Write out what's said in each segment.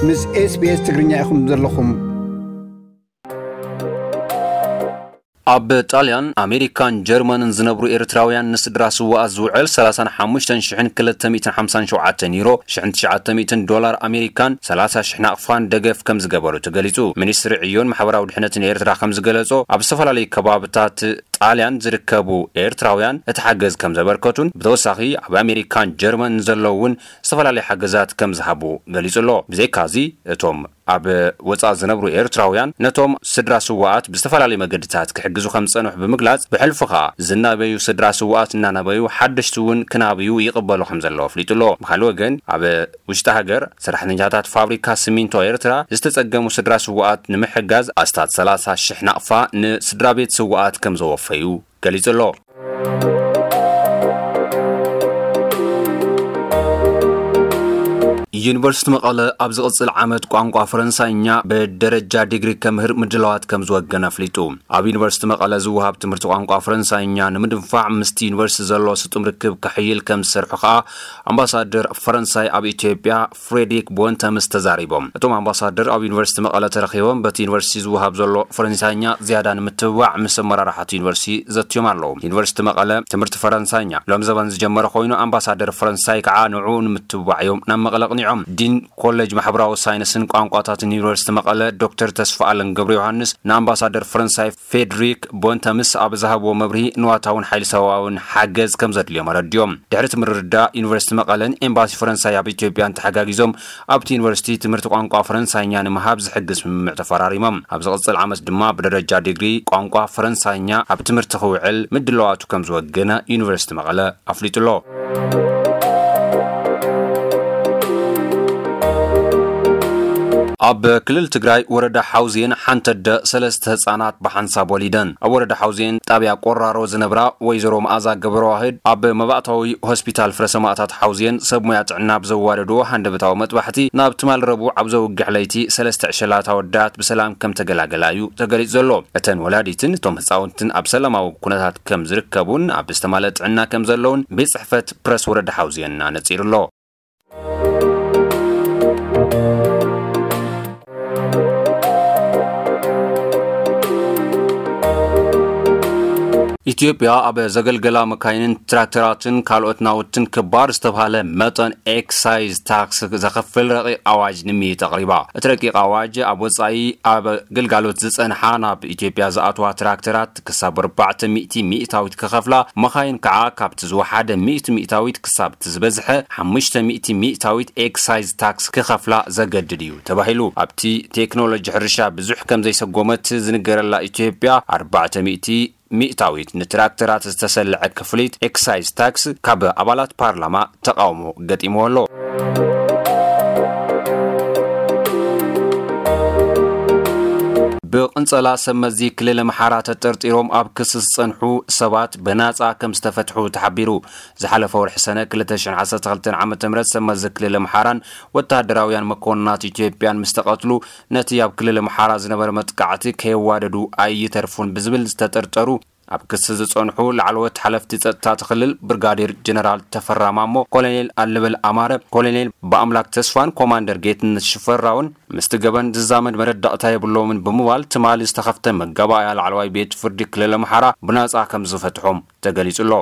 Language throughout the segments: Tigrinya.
ምስ SBS ትግርኛ ኢኹም ዘለኹም። ኣብ ጣልያን፣ ኣሜሪካን ጀርመንን ዝነብሩ ኤርትራውያን ንስድራ ስዋኣት ዝውዕል ሰላሳን ሓሙሽተን ሽሕን ክልተ ሚእትን ሓምሳን ሸውዓተን ዩሮ፣ ሽሕን ትሽዓተ ሚእትን ዶላር ኣሜሪካን ሰላሳ ሽሕ ናቕፋን ደገፍ ከም ዝገበሩ ተገሊጹ። ሚኒስትሪ ዕዮን ማሕበራዊ ድሕነትን ኤርትራ ከም ዝገለጾ፣ ኣብ ዝተፈላለዩ ከባብታት ጣልያን ዝርከቡ ኤርትራውያን እቲ ሓገዝ ከም ዘበርከቱን ብተወሳኺ ኣብ ኣሜሪካን ጀርመን ዘለዉ እውን ዝተፈላለዩ ሓገዛት ከም ዝሃቡ ገሊጹ ኣሎ። ብዘይካዚ እቶም ኣብ ወጻኢ ዝነብሩ ኤርትራውያን ነቶም ስድራ ስዋኣት ብዝተፈላለዩ መገድታት ክሕግዙ ከም ዝጸንሑ ብምግላጽ፣ ብሕልፊ ከኣ ዝናበዩ ስድራ ስዋኣት እናናበዩ ሓደሽቲ እውን ክናብዩ ይቕበሉ ከም ዘለዉ ኣፍሊጡ ኣሎ። ብኻልእ ወገን ኣብ ውሽጢ ሃገር ሰራሕተኛታት ፋብሪካ ሲሚንቶ ኤርትራ ዝተጸገሙ ስድራ ስዋኣት ንምሕጋዝ ኣስታት ሰላሳ ሽሕ ናቕፋ ንስድራ ቤት ስዋኣት ከም ዘወፈዩ ገሊጹ ኣሎ። ዩኒቨርሲቲ መቐለ ኣብ ዝቕጽል ዓመት ቋንቋ ፈረንሳይኛ ብደረጃ ዲግሪ ከምህር ምድላዋት ከም ዝወገነ ኣፍሊጡ። ኣብ ዩኒቨርሲቲ መቐለ ዝወሃብ ትምህርቲ ቋንቋ ፈረንሳይኛ ንምድንፋዕ ምስቲ ዩኒቨርሲቲ ዘሎ ስጡም ርክብ ከሕይል ከም ዝሰርሑ ከኣ ኣምባሳደር ፈረንሳይ ኣብ ኢትዮጵያ ፍሬድሪክ ቦንተምስ ተዛሪቦም። እቶም ኣምባሳደር ኣብ ዩኒቨርሲቲ መቐለ ተረኺቦም በቲ ዩኒቨርሲቲ ዝወሃብ ዘሎ ፈረንሳይኛ ዝያዳ ንምትብባዕ ምስ ኣመራርሓ እቲ ዩኒቨርሲቲ ዘትዮም ኣለዉ። ዩኒቨርሲቲ መቐለ ትምህርቲ ፈረንሳይኛ ሎም ዘበን ዝጀመረ ኮይኑ ኣምባሳደር ፈረንሳይ ከዓ ንዕኡ ንምትብባዕ እዮም ናብ መቐለ ኣቕኒዖም። ዲን ኮሌጅ ማሕበራዊ ሳይንስን ቋንቋታትን ዩኒቨርሲቲ መቐለ ዶክተር ተስፋ ኣለም ገብረ ዮሃንስ ንኣምባሳደር ፈረንሳይ ፌድሪክ ቦንተምስ ኣብ ዝሃብዎ መብርሂ ንዋታውን ሓይሊ ሰብኣውን ሓገዝ ከም ዘድልዮም ኣረድዮም። ድሕሪ እቲ ምርድዳእ ዩኒቨርሲቲ መቐለን ኤምባሲ ፈረንሳይ ኣብ ኢትዮጵያን ተሓጋጊዞም ኣብቲ ዩኒቨርሲቲ ትምህርቲ ቋንቋ ፈረንሳይኛ ንምሃብ ዝሕግዝ ስምምዕ ተፈራሪሞም። ኣብ ዝቕጽል ዓመት ድማ ብደረጃ ዲግሪ ቋንቋ ፈረንሳይኛ ኣብ ትምህርቲ ክውዕል ምድላዋቱ ከም ዝወገነ ዩኒቨርሲቲ መቐለ ኣፍሊጡ ኣሎ። ኣብ ክልል ትግራይ ወረዳ ሓውዜን ሓንቲ ኣደ ሰለስተ ህጻናት ብሓንሳብ ወሊደን። ኣብ ወረዳ ሓውዜን ጣብያ ቆራሮ ዝነብራ ወይዘሮ መኣዛ ገብረዋህድ ኣብ መባእታዊ ሆስፒታል ፍረ ሰማእታት ሓውዜን ሰብ ሞያ ጥዕና ብዘዋደድዎ ሃንደበታዊ መጥባሕቲ ናብ ትማል ረቡዕ ኣብ ዘውግሕ ለይቲ ሰለስተ ዕሸላት ኣወዳት ብሰላም ከም ተገላገላ እዩ ተገሊጹ ዘሎ። እተን ወላዲትን እቶም ህጻውንትን ኣብ ሰላማዊ ኩነታት ከም ዝርከቡን ኣብ ዝተማልአ ጥዕና ከም ዘለውን ቤት ጽሕፈት ፕረስ ወረዳ ሓውዜን ኣነጺሩ ኣሎ። ኢትዮጵያ ኣብ ዘገልገላ መካይንን ትራክተራትን ካልኦት ናውትን ክባር ዝተባሃለ መጠን ኤክሳይዝ ታክስ ዘኸፍል ረቂቕ ኣዋጅ ንምይይጥ ኣቕሪባ። እቲ ረቂቕ ኣዋጅ ኣብ ወጻኢ ኣብ ግልጋሎት ዝጸንሓ ናብ ኢትዮጵያ ዝኣትዋ ትራክተራት ክሳብ ኣርባዕተ ሚእቲ ሚእታዊት ክኸፍላ፣ መኻይን ከዓ ካብቲ ዝወሓደ ሚእቲ ሚእታዊት ክሳብ እቲ ዝበዝሐ ሓሙሽተ ሚእቲ ሚእታዊት ኤክሳይዝ ታክስ ክኸፍላ ዘገድድ እዩ ተባሂሉ። ኣብቲ ቴክኖሎጂ ሕርሻ ብዙሕ ከም ዘይሰጎመት ዝንገረላ ኢትዮጵያ፣ ኣርባዕተ ሚእቲ ሚእታዊት ንትራክተራት ዝተሰልዐ ክፍሊት ኤክሳይዝ ታክስ ካብ ኣባላት ፓርላማ ተቃውሞ ገጢምዎ ኣሎ። ብቕንጸላ ሰብ መዚ ክልል ኣምሓራ ተጠርጢሮም ኣብ ክሲ ዝጸንሑ ሰባት ብናጻ ከም ዝተፈትሑ ተሓቢሩ። ዝሓለፈ ወርሒ ሰነ ክልተ ሽሕን ዓሰርተ ክልተን ዓመተ ምህረት ሰብ መዚ ክልል ኣምሓራን ወተሃደራውያን መኮንናት ኢትዮጵያን ምስ ተቐትሉ፣ ነቲ ኣብ ክልል ኣምሓራ ዝነበረ መጥቃዕቲ ከየዋደዱ ኣይተርፉን ብዝብል ዝተጠርጠሩ ኣብ ክሲ ዝጸንሑ ላዕለዎት ሓለፍቲ ጸጥታ እቲ ክልል ብርጋዴር ጀነራል ተፈራ ማሞ፣ ኮሎኔል ኣለበል ኣማረ፣ ኮሎኔል ብኣምላክ ተስፋን ኮማንደር ጌትነት ሽፈራውን ምስቲ ገበን ዝዛመድ መረዳእታ የብሎምን ብምባል ትማሊ ዝተኸፍተ መጋባእያ ላዕለዋይ ቤት ፍርዲ ክልል ኣምሓራ ብናጻ ከም ዝፈትሖም ተገሊጹ ኣሎ።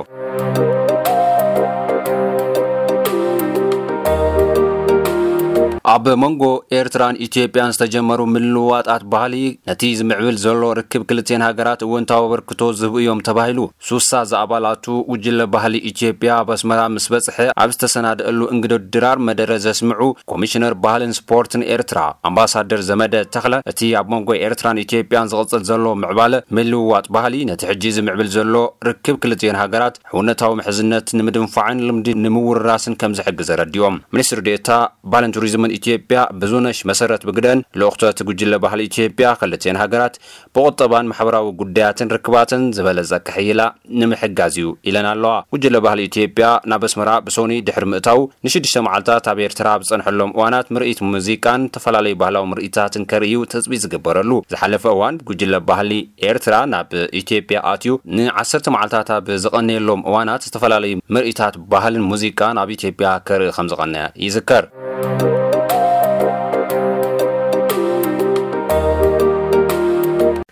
ኣብ መንጎ ኤርትራን ኢትዮጵያን ዝተጀመሩ ምልውዋጣት ባህሊ ነቲ ዝምዕብል ዘሎ ርክብ ክልቴን ሃገራት እወንታዊ ኣበርክቶ ዝህቡ እዮም ተባሂሉ። ሱሳ ዝኣባላቱ ጉጅለ ባህሊ ኢትዮጵያ ኣብ ኣስመራ ምስ በጽሐ ኣብ ዝተሰናደአሉ እንግዶ ድራር መደረ ዘስምዑ ኮሚሽነር ባህልን ስፖርትን ኤርትራ ኣምባሳደር ዘመደ ተኽለ፣ እቲ ኣብ መንጎ ኤርትራን ኢትዮጵያን ዝቕጽል ዘሎ ምዕባለ ምልውዋጥ ባህሊ ነቲ ሕጂ ዝምዕብል ዘሎ ርክብ ክልቲኤን ሃገራት ሕውነታዊ ምሕዝነት ንምድንፋዕን ልምዲ ንምውርራስን ከም ዝሕግዝ ኣረዲኦም። ሚኒስትር ዴኤታ ባህልን ቱሪዝምን ኢትዮጵያ ብዙነሽ መሰረት ብግደን፣ ልኡኽቶ እቲ ጉጅለ ባህሊ ኢትዮጵያ ክልቲኤን ሃገራት ብቁጠባን ማሕበራዊ ጉዳያትን ርክባተን ዝበለጸ ክሕይላ ንምሕጋዝ እዩ ኢለን ኣለዋ። ጉጅለ ባህሊ ኢትዮጵያ ናብ ኣስመራ ብሶኒ ድሕሪ ምእታው ንሽዱሽተ መዓልታት ኣብ ኤርትራ ኣብ ዝጸንሐሎም እዋናት ምርኢት ሙዚቃን ዝተፈላለዩ ባህላዊ ምርኢታትን ከርእዩ ትጽቢት ዝግበረሉ። ዝሓለፈ እዋን ጉጅለ ባህሊ ኤርትራ ናብ ኢትዮጵያ ኣትዩ ንዓሰርተ መዓልታት ኣብ ዝቐነየሎም እዋናት ዝተፈላለዩ ምርኢታት ባህልን ሙዚቃን ኣብ ኢትዮጵያ ከርኢ ከም ዝቐነየ ይዝከር።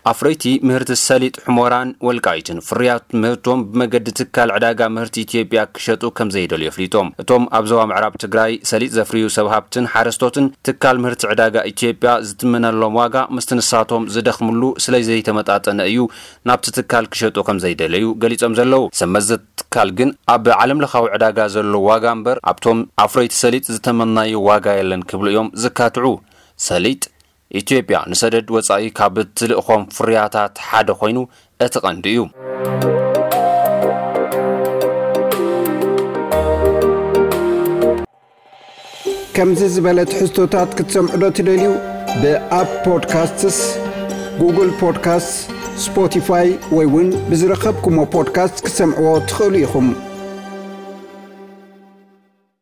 ኣፍረይቲ ምህርቲ ሰሊጥ ሕሞራን ወልቃይትን ፍርያት ምህርቶም ብመገዲ ትካል ዕዳጋ ምህርቲ ኢትዮጵያ ክሸጡ ከም ዘይደልዩ ኣፍሊጦም። እቶም ኣብ ዞባ ምዕራብ ትግራይ ሰሊጥ ዘፍርዩ ሰብ ሃብትን ሓረስቶትን ትካል ምህርቲ ዕዳጋ ኢትዮጵያ ዝትመነሎም ዋጋ ምስቲ ንሳቶም ዝደኽምሉ ስለ ዘይተመጣጠነ እዩ ናብቲ ትካል ክሸጡ ከም ዘይደለዩ ገሊጾም ዘለዉ። ሰብ መዚ ትካል ግን ኣብ ዓለም ለኻዊ ዕዳጋ ዘሎ ዋጋ እምበር ኣብቶም ኣፍረይቲ ሰሊጥ ዝተመናዩ ዋጋ የለን ክብሉ እዮም ዝካትዑ። ሰሊጥ ኢትዮጵያ ንሰደድ ወጻኢ ካብ እትልእኾም ፍርያታት ሓደ ኮይኑ እቲ ቀንዲ እዩ። ከምዚ ዝበለ ትሕዝቶታት ክትሰምዑ ዶ ትደልዩ? ብኣፕ ፖድካስትስ፣ ጉግል ፖድካስትስ፣ ስፖቲፋይ ወይ እውን ብዝረኸብኩሞ ፖድካስት ክትሰምዕዎ ትኽእሉ ኢኹም።